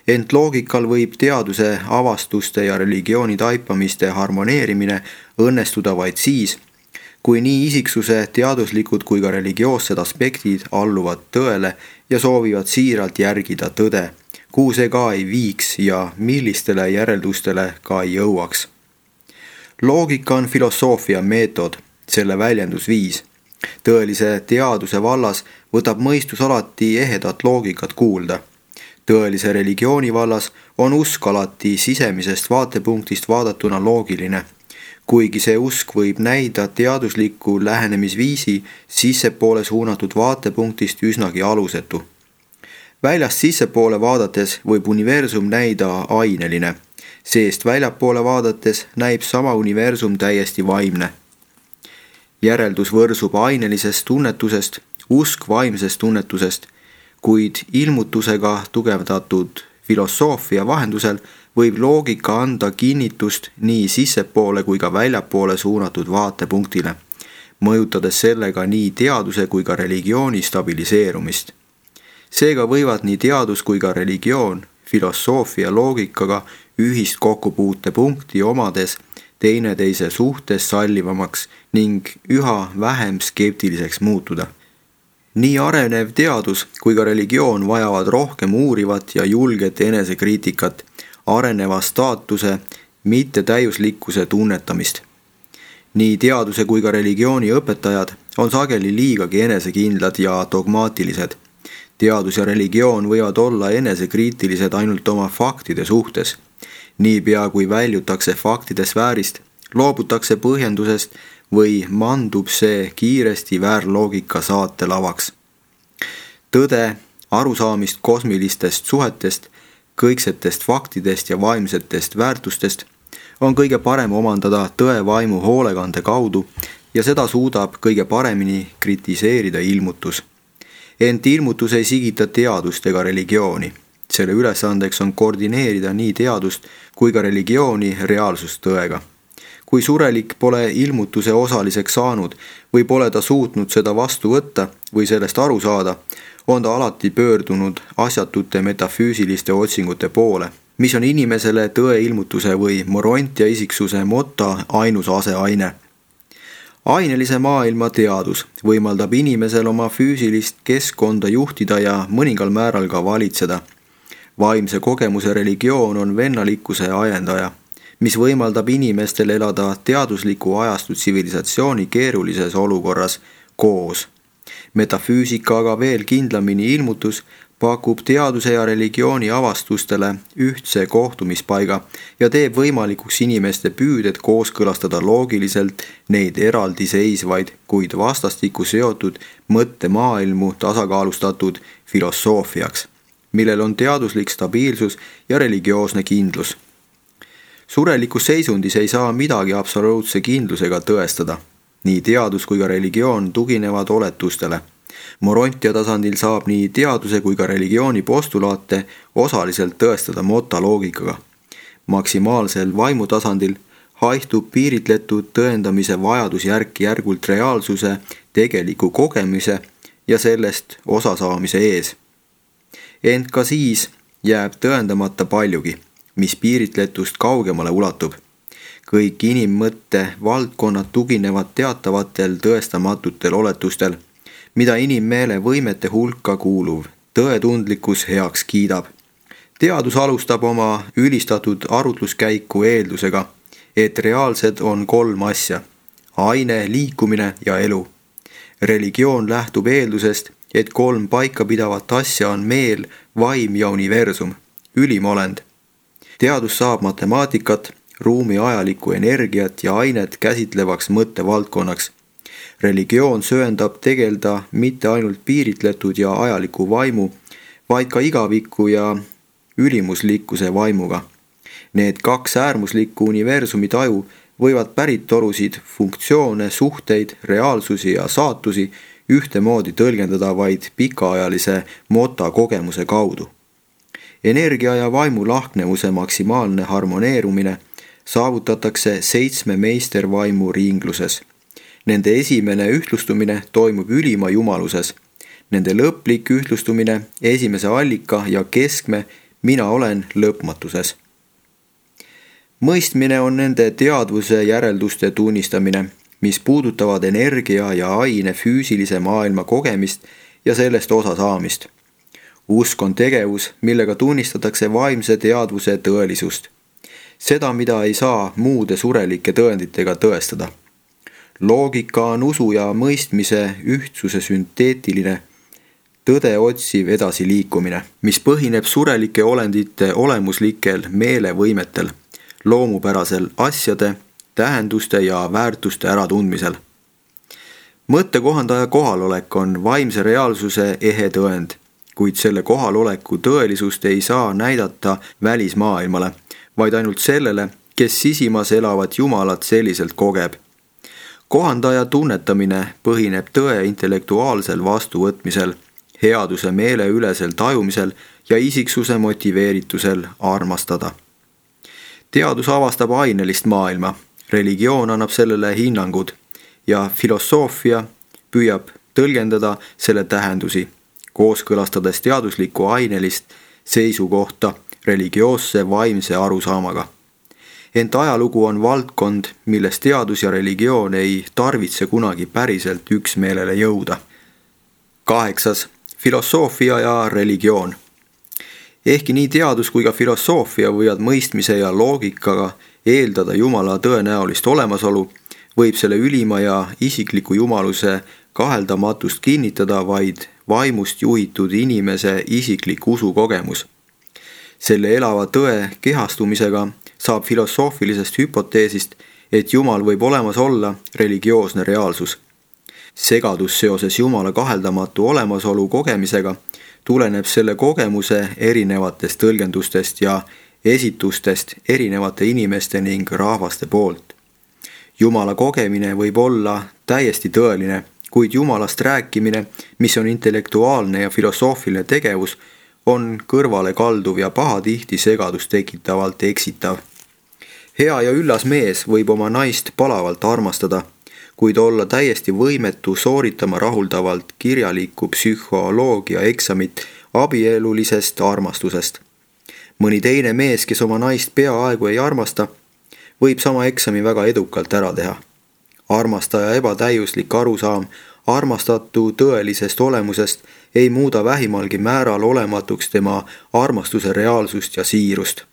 [SPEAKER 1] Ent loogikal võib teaduse avastuste ja religiooni taipamiste harmoneerimine õnnestuda vaid siis, kui nii isiksuse teaduslikud kui ka religioossed aspektid alluvad tõele ja soovivad siiralt järgida tõde, kuhu see ka ei viiks ja millistele järeldustele ka ei jõuaks. Loogika on filosoofia meetod, selle väljendusviis. Tõelise teaduse vallas võtab mõistus alati ehedat loogikat kuulda. Tõelise religiooni vallas on usk alati sisemisest vaatepunktist vaadatuna loogiline, kuigi see usk võib näida teadusliku lähenemisviisi sissepoole suunatud vaatepunktist üsnagi alusetu. Väljast sissepoole vaadates võib universum näida aineline, seest väljapoole vaadates näib sama universum täiesti vaimne. Järeldus võrsub ainelisest tunnetusest, usk vaimsest tunnetusest, kuid ilmutusega tugevdatud filosoofia vahendusel võib loogika anda kinnitust nii sissepoole kui ka väljapoole suunatud vaatepunktile, mõjutades sellega nii teaduse kui ka religiooni stabiliseerumist. Seega võivad nii teadus kui ka religioon filosoofia loogikaga ühist kokkupuutepunkti omades teineteise suhtes sallivamaks ning üha vähem skeptiliseks muutuda. Nii arenev teadus kui ka religioon vajavad rohkem uurivat ja julget enesekriitikat, areneva staatuse mittetäiuslikkuse tunnetamist. Nii teaduse kui ka religiooni õpetajad on sageli liigagi enesekindlad ja dogmaatilised. Teadus ja religioon võivad olla enesekriitilised ainult oma faktide suhtes. Niipea kui väljutakse faktide sfäärist, loobutakse põhjendusest või mandub see kiiresti väärloogika saatelavaks. Tõde, arusaamist kosmilistest suhetest, kõiksetest faktidest ja vaimsetest väärtustest on kõige parem omandada tõevaimu hoolekande kaudu ja seda suudab kõige paremini kritiseerida ilmutus. Ent ilmutus ei sigita teadust ega religiooni. Selle ülesandeks on koordineerida nii teadust kui ka religiooni reaalsustõega. Kui surelik pole ilmutuse osaliseks saanud või pole ta suutnud seda vastu võtta või sellest aru saada, on ta alati pöördunud asjatute metafüüsiliste otsingute poole, mis on inimesele tõe ilmutuse või morontia isiksuse motta ainus aseaine. Ainelise maailma teadus võimaldab inimesel oma füüsilist keskkonda juhtida ja mõningal määral ka valitseda. Vaimse kogemuse religioon on vennalikkuse ajendaja, mis võimaldab inimestel elada teadusliku ajastu tsivilisatsiooni keerulises olukorras koos. Metafüüsika aga veel kindlamini ilmutus pakub teaduse ja religiooni avastustele ühtse kohtumispaiga ja teeb võimalikuks inimeste püüded kooskõlastada loogiliselt neid eraldiseisvaid, kuid vastastikku seotud mõttemaailmu tasakaalustatud filosoofiaks, millel on teaduslik stabiilsus ja religioosne kindlus. Surelikus seisundis ei saa midagi absoluutse kindlusega tõestada. Nii teadus kui ka religioon tuginevad oletustele. Morontia tasandil saab nii teaduse kui ka religiooni postulaate osaliselt tõestada motaloogikaga. Maksimaalsel vaimutasandil haihtub piiritletud tõendamise vajadus järk-järgult reaalsuse tegeliku kogemise ja sellest osasaamise ees. Ent ka siis jääb tõendamata paljugi, mis piiritletust kaugemale ulatub. Kõik inimmõtte valdkonnad tuginevad teatavatel tõestamatutel oletustel, mida inimmeele võimete hulka kuuluv tõetundlikkus heaks kiidab. Teadus alustab oma ülistatud arutluskäiku eeldusega, et reaalsed on 3 asja: aine, liikumine ja elu. Religioon lähtub eeldusest, et 3 paikapidavat asja on meel, vaim ja universum, ülim olend. Teadus saab matemaatikat, ruumi ajalikku energiat ja ainet käsitlevaks mõttevaldkonnaks. Religioon sööndab tegelda mitte ainult piiritletud ja ajaliku vaimu, vaid ka igaviku ja ülimuslikkuse vaimuga. Need 2 äärmuslikku universumi taju võivad päritolusid, funktsioone, suhteid, reaalsusi ja saatusi ühtemoodi tõlgendada vaid pikaajalise motakogemuse kaudu. Energia ja vaimu lahknevuse maksimaalne harmoneerumine saavutatakse 7 meistervaimu ringluses. Nende esimene ühtlustumine toimub ülima jumaluses. Nende lõplik ühtlustumine esimese allika ja keskme mina olen lõpmatuses. Mõistmine on nende teadvuse järelduste tunnistamine, mis puudutavad energia ja aine füüsilise maailma kogemist ja sellest osa saamist. Usk on tegevus, millega tunnistatakse vaimse teadvuse tõelisust. Seda, mida ei saa muude surelike tõenditega tõestada. Loogika on usu ja mõistmise ühtsuse sünteetiline, tõde otsiv edasiliikumine, mis põhineb surelike olendite olemuslikel meelevõimetel, loomupärasel asjade, tähenduste ja väärtuste äratundmisel. Mõttekohandaja kohalolek on vaimse reaalsuse ehe tõend, kuid selle kohaloleku tõelisust ei saa näidata välismaailmale, vaid ainult sellele, kes sisimas elavat Jumalat selliselt kogeb. Kohandaja tunnetamine põhineb tõe intellektuaalsel vastuvõtmisel, headuse meeleülesel tajumisel ja isiksuse motiveeritusel armastada. Teadus avastab ainelist maailma, religioon annab sellele hinnangud ja filosoofia püüab tõlgendada selle tähendusi, kooskõlastades teaduslikku ainelist seisukohta religioosse vaimse arusaamaga. Ent ajalugu on valdkond, milles teadus ja religioon ei tarvitse kunagi päriselt üksmeelele jõuda. 8. Filosoofia ja religioon. Ehkki nii teadus kui ka filosoofia võivad mõistmise ja loogikaga eeldada Jumala tõenäolist olemasolu, võib selle ülima ja isikliku jumaluse kaheldamatust kinnitada vaid vaimust juhitud inimese isiklik usukogemus. Selle elava tõe kehastumisega saab filosoofilisest hüpoteesist, et Jumal võib olemas olla religioosne reaalsus. Segadus seoses Jumala kaheldamatu olemasolu kogemisega tuleneb selle kogemuse erinevatest tõlgendustest ja esitustest erinevate inimeste ning rahvaste poolt. Jumala kogemine võib olla täiesti tõeline, kuid Jumalast rääkimine, mis on intellektuaalne ja filosoofiline tegevus, on kõrvale kalduv ja pahatihti segadust tekitavalt eksitav. Hea ja üllas mees võib oma naist palavalt armastada, kuid olla täiesti võimetu sooritama rahuldavalt kirjalikku psühholoogia eksamit abielulisest armastusest. Mõni teine mees, kes oma naist peaaegu ei armasta, võib sama eksami väga edukalt ära teha. Armastaja ebatäiuslik arusaam armastatu tõelisest olemusest ei muuda vähimalgi määral olematuks tema armastuse reaalsust ja siirust.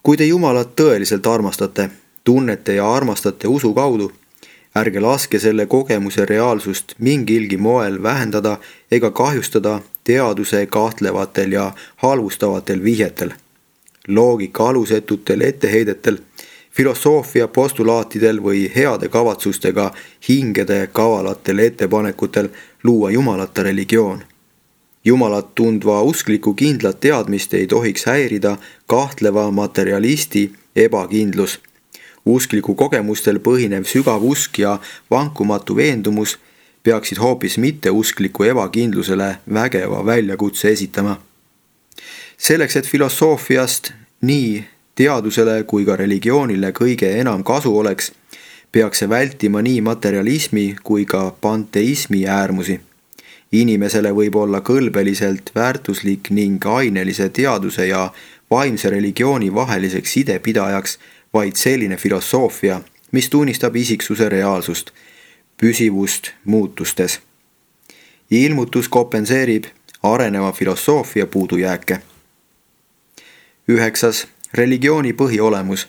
[SPEAKER 1] Kui te Jumalat tõeliselt armastate, tunnete ja armastate usu kaudu, Ärge laske selle kogemuse reaalsust mingilgi moel vähendada ega kahjustada teaduse kahtlevatel ja halvustavatel vihjetel, loogika alusetutel etteheidetel, filosoofia postulaatidel või heade kavatsustega hingede kavalatel ettepanekutel luua jumalata religioon. Jumalat tundva uskliku kindlat teadmist ei tohiks häirida kahtleva materialisti ebakindlus. Uskliku kogemustel põhinev sügav usk ja vankumatu veendumus peaksid hoopis mitteuskliku ebakindlusele vägeva väljakutse esitama. Selleks, et filosoofiast nii teadusele kui ka religioonile kõige enam kasu oleks, peaks see vältima nii materialismi kui ka panteismi äärmusi. Inimesele võib olla kõlbeliselt väärtuslik ning ainelise teaduse ja vaimse religiooni vaheliseks sidepidajaks vaid selline filosoofia, mis tunnistab isiksuse reaalsust, püsivust muutustes. Ilmutus kompenseerib areneva filosoofia puudujääke. 9. Religiooni põhiolemus.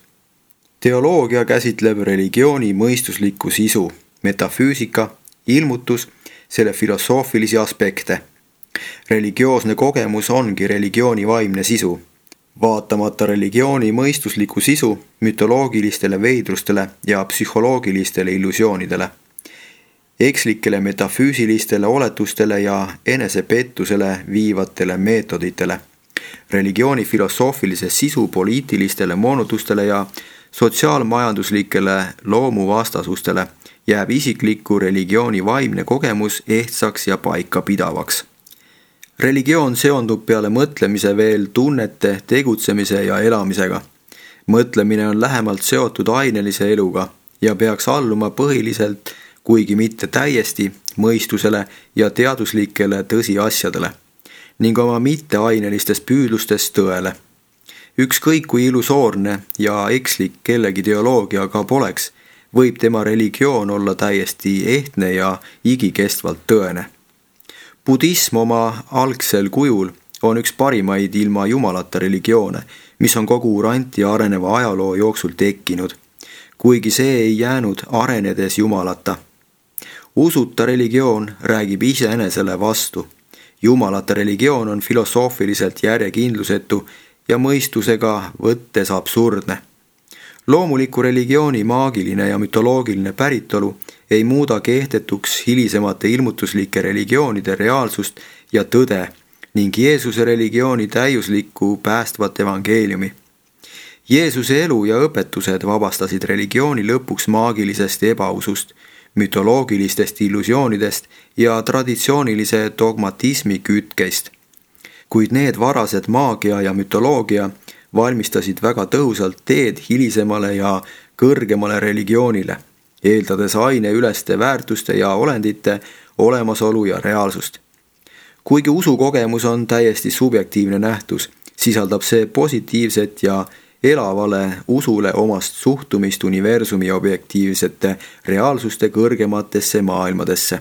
[SPEAKER 1] Teoloogia käsitleb religiooni mõistuslikku sisu, metafüüsika, ilmutus, selle filosoofilisi aspekte. Religioosne kogemus ongi religiooni vaimne sisu. Vaatamata religiooni mõistusliku sisu mütoloogilistele veidrustele ja psühholoogilistele illusioonidele, ekslikele metafüüsilistele oletustele ja enesepettusele viivatele meetoditele, religiooni filosoofilise sisu poliitilistele moonutustele ja sotsiaalmajanduslikele loomuvastasustele, jääb isikliku religiooni vaimne kogemus ehtsaks ja paikapidavaks. Religioon seondub peale mõtlemise veel tunnete, tegutsemise ja elamisega. Mõtlemine on lähemalt seotud ainelise eluga ja peaks alluma põhiliselt, kuigi mitte täiesti, mõistusele ja teaduslikele tõsiasjadele ning oma mitteainelistes püüdlustes tõele. Ükskõik kui illusoorne ja ekslik kellegi teoloogia ka poleks, võib tema religioon olla täiesti ehtne ja igikestvalt tõene. Budism oma algsel kujul on üks parimaid ilma jumalata religioone, mis on kogu uranti areneva ajaloo jooksul tekkinud, kuigi see ei jäänud arenedes jumalata. Usuta religioon räägib iseenesele vastu. Jumalata religioon on filosoofiliselt järjekindlusetu ja mõistusega võttes absurdne. Loomuliku religiooni maagiline ja mütoloogiline päritolu ei muuda kehtetuks hilisemate ilmutuslike religioonide reaalsust ja tõde ning Jeesuse religiooni täiuslikku päästvat evangeeliumi. Jeesuse elu ja õpetused vabastasid religiooni lõpuks maagilisest ebausust, mütoloogilistest illusioonidest ja traditsioonilise dogmatismi kütkeist. Kuid need varased maagia ja mütoloogia valmistasid väga tõhusalt teed hilisemale ja kõrgemale religioonile, eeldades aineüleste väärtuste ja olendite olemasolu ja reaalsust. Kuigi usukogemus on täiesti subjektiivne nähtus, sisaldab see positiivset ja elavale usule omast suhtumist universumi objektiivsete reaalsuste kõrgematesse maailmadesse.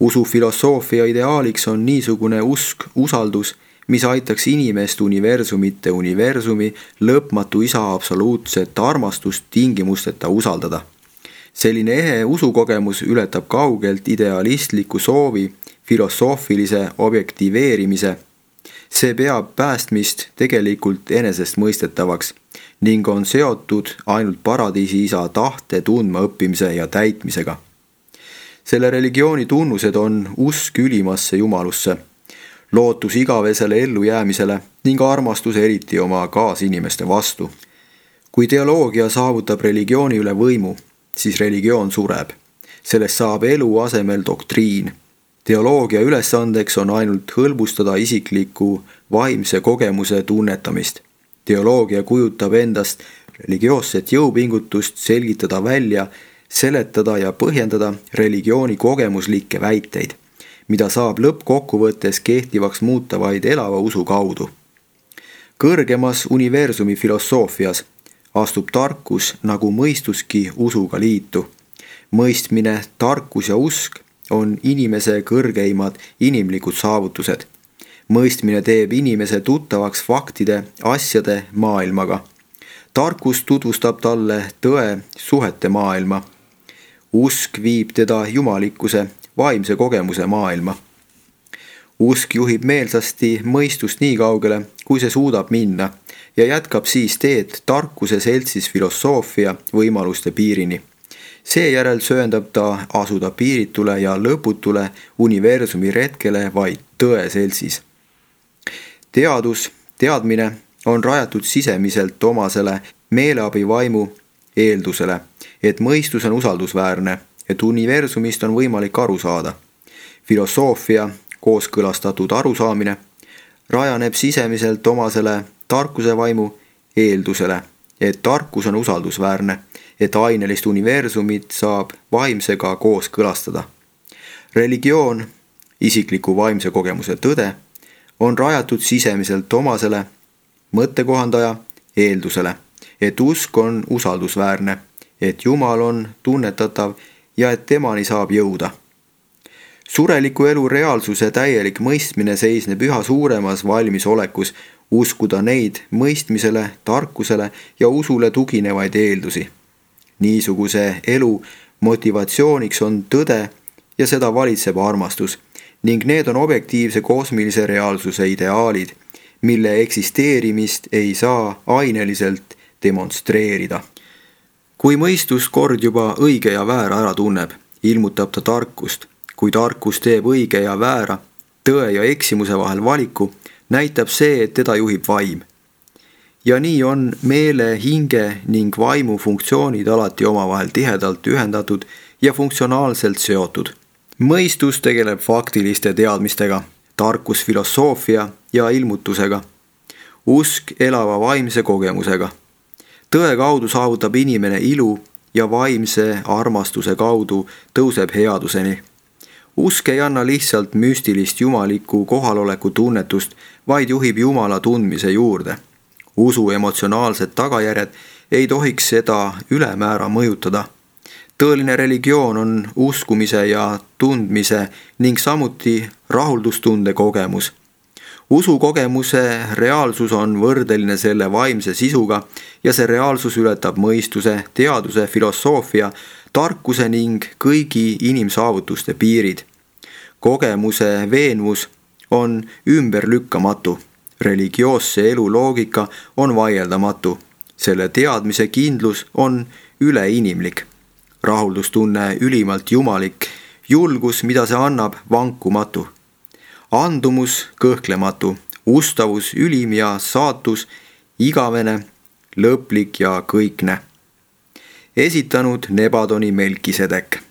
[SPEAKER 1] Usufilosoofia ideaaliks on niisugune usk, usaldus, mis aitaks inimest universumite universumi lõpmatu isa absoluutset armastust tingimusteta usaldada. Selline ehe usukogemus ületab kaugelt idealistliku soovi filosoofilise objektiveerimise. See peab päästmist tegelikult enesestmõistetavaks ning on seotud ainult paradiisi isa tahte tundma õppimise ja täitmisega. Selle religiooni tunnused on usk ülimasse jumalusse, lootus igavesele ellujäämisele ning armastus eriti oma kaasinimeste vastu. Kui teoloogia saavutab religiooni üle võimu, siis religioon sureb. Sellest saab elu asemel doktriin. Teoloogia ülesandeks on ainult hõlbustada isikliku vaimse kogemuse tunnetamist. Teoloogia kujutab endast religioosset jõupingutust selgitada välja, seletada ja põhjendada religiooni kogemuslikke väiteid, mida saab lõppkokkuvõttes kehtivaks muuta vaid elava usu kaudu. Kõrgemas universumi filosoofias astub tarkus nagu mõistuski usuga liitu. Mõistmine, tarkus ja usk on inimese kõrgeimad inimlikud saavutused. Mõistmine teeb inimese tuttavaks faktide, asjade maailmaga. Tarkus tutvustab talle tõe suhete maailma. Usk viib teda jumalikkuse, vaimse kogemuse maailma. Usk juhib meelsasti mõistust nii kaugele, kui see suudab minna ja jätkab siis teed tarkuse seltsis filosoofia võimaluste piirini. Seejärel sööndab ta asuda piiritule ja lõputule universumi retkele vaid tõe seltsis. Teadmine on rajatud sisemiselt omasele meeleabivaimu eeldusele, et mõistus on usaldusväärne, et universumist on võimalik aru saada. Filosoofia, kooskõlastatud arusaamine, rajaneb sisemiselt omasele tarkuse vaimu eeldusele, et tarkus on usaldusväärne, et ainelist universumit saab vaimsega kooskõlastada. Religioon, isikliku vaimse kogemuse tõde, on rajatud sisemiselt omasele mõttekohandaja eeldusele, et usk on usaldusväärne, et Jumal on tunnetatav ja et temani saab jõuda. Sureliku elu reaalsuse täielik mõistmine seisneb üha suuremas valmisolekus uskuda neid mõistmisele, tarkusele ja usule tuginevaid eeldusi. Niisuguse elu motivatsiooniks on tõde ja seda valitseb armastus ning need on objektiivse kosmilise reaalsuse ideaalid, mille eksisteerimist ei saa aineliselt demonstreerida. Kui mõistus kord juba õige ja väära ära tunneb, ilmutab ta tarkust. Kui tarkus teeb õige ja väära, tõe ja eksimuse vahel valiku, näitab see, et teda juhib vaim. Ja nii on meele, hinge ning vaimu funktsioonid alati omavahel tihedalt ühendatud ja funktsionaalselt seotud. Mõistus tegeleb faktiliste teadmistega, tarkus filosoofia ja ilmutusega, usk elava vaimse kogemusega. Tõe kaudu saavutab inimene ilu ja vaimse armastuse kaudu tõuseb headuseni. Usk ei anna lihtsalt müstilist jumaliku kohaloleku tunnetust, vaid juhib Jumala tundmise juurde. Usu emotsionaalsed tagajärjed ei tohiks seda ülemäära mõjutada. Tõeline religioon on uskumise ja tundmise ning samuti rahuldustunde kogemus. Usu kogemuse reaalsus on võrdeline selle vaimse sisuga ja see reaalsus ületab mõistuse, teaduse, filosoofia, tarkuse ning kõigi inimsaavutuste piirid. Kogemuse veenvus on ümberlükkamatu. Religioosse elu loogika on vaieldamatu. Selle teadmise kindlus on üleinimlik. Rahuldustunne ülimalt jumalik, julgus, mida see annab, vankumatu. Andumus kõhklematu, ustavus ülim ja saatus igavene, lõplik ja kõikne. Esitanud Nebadoni Melkisedek.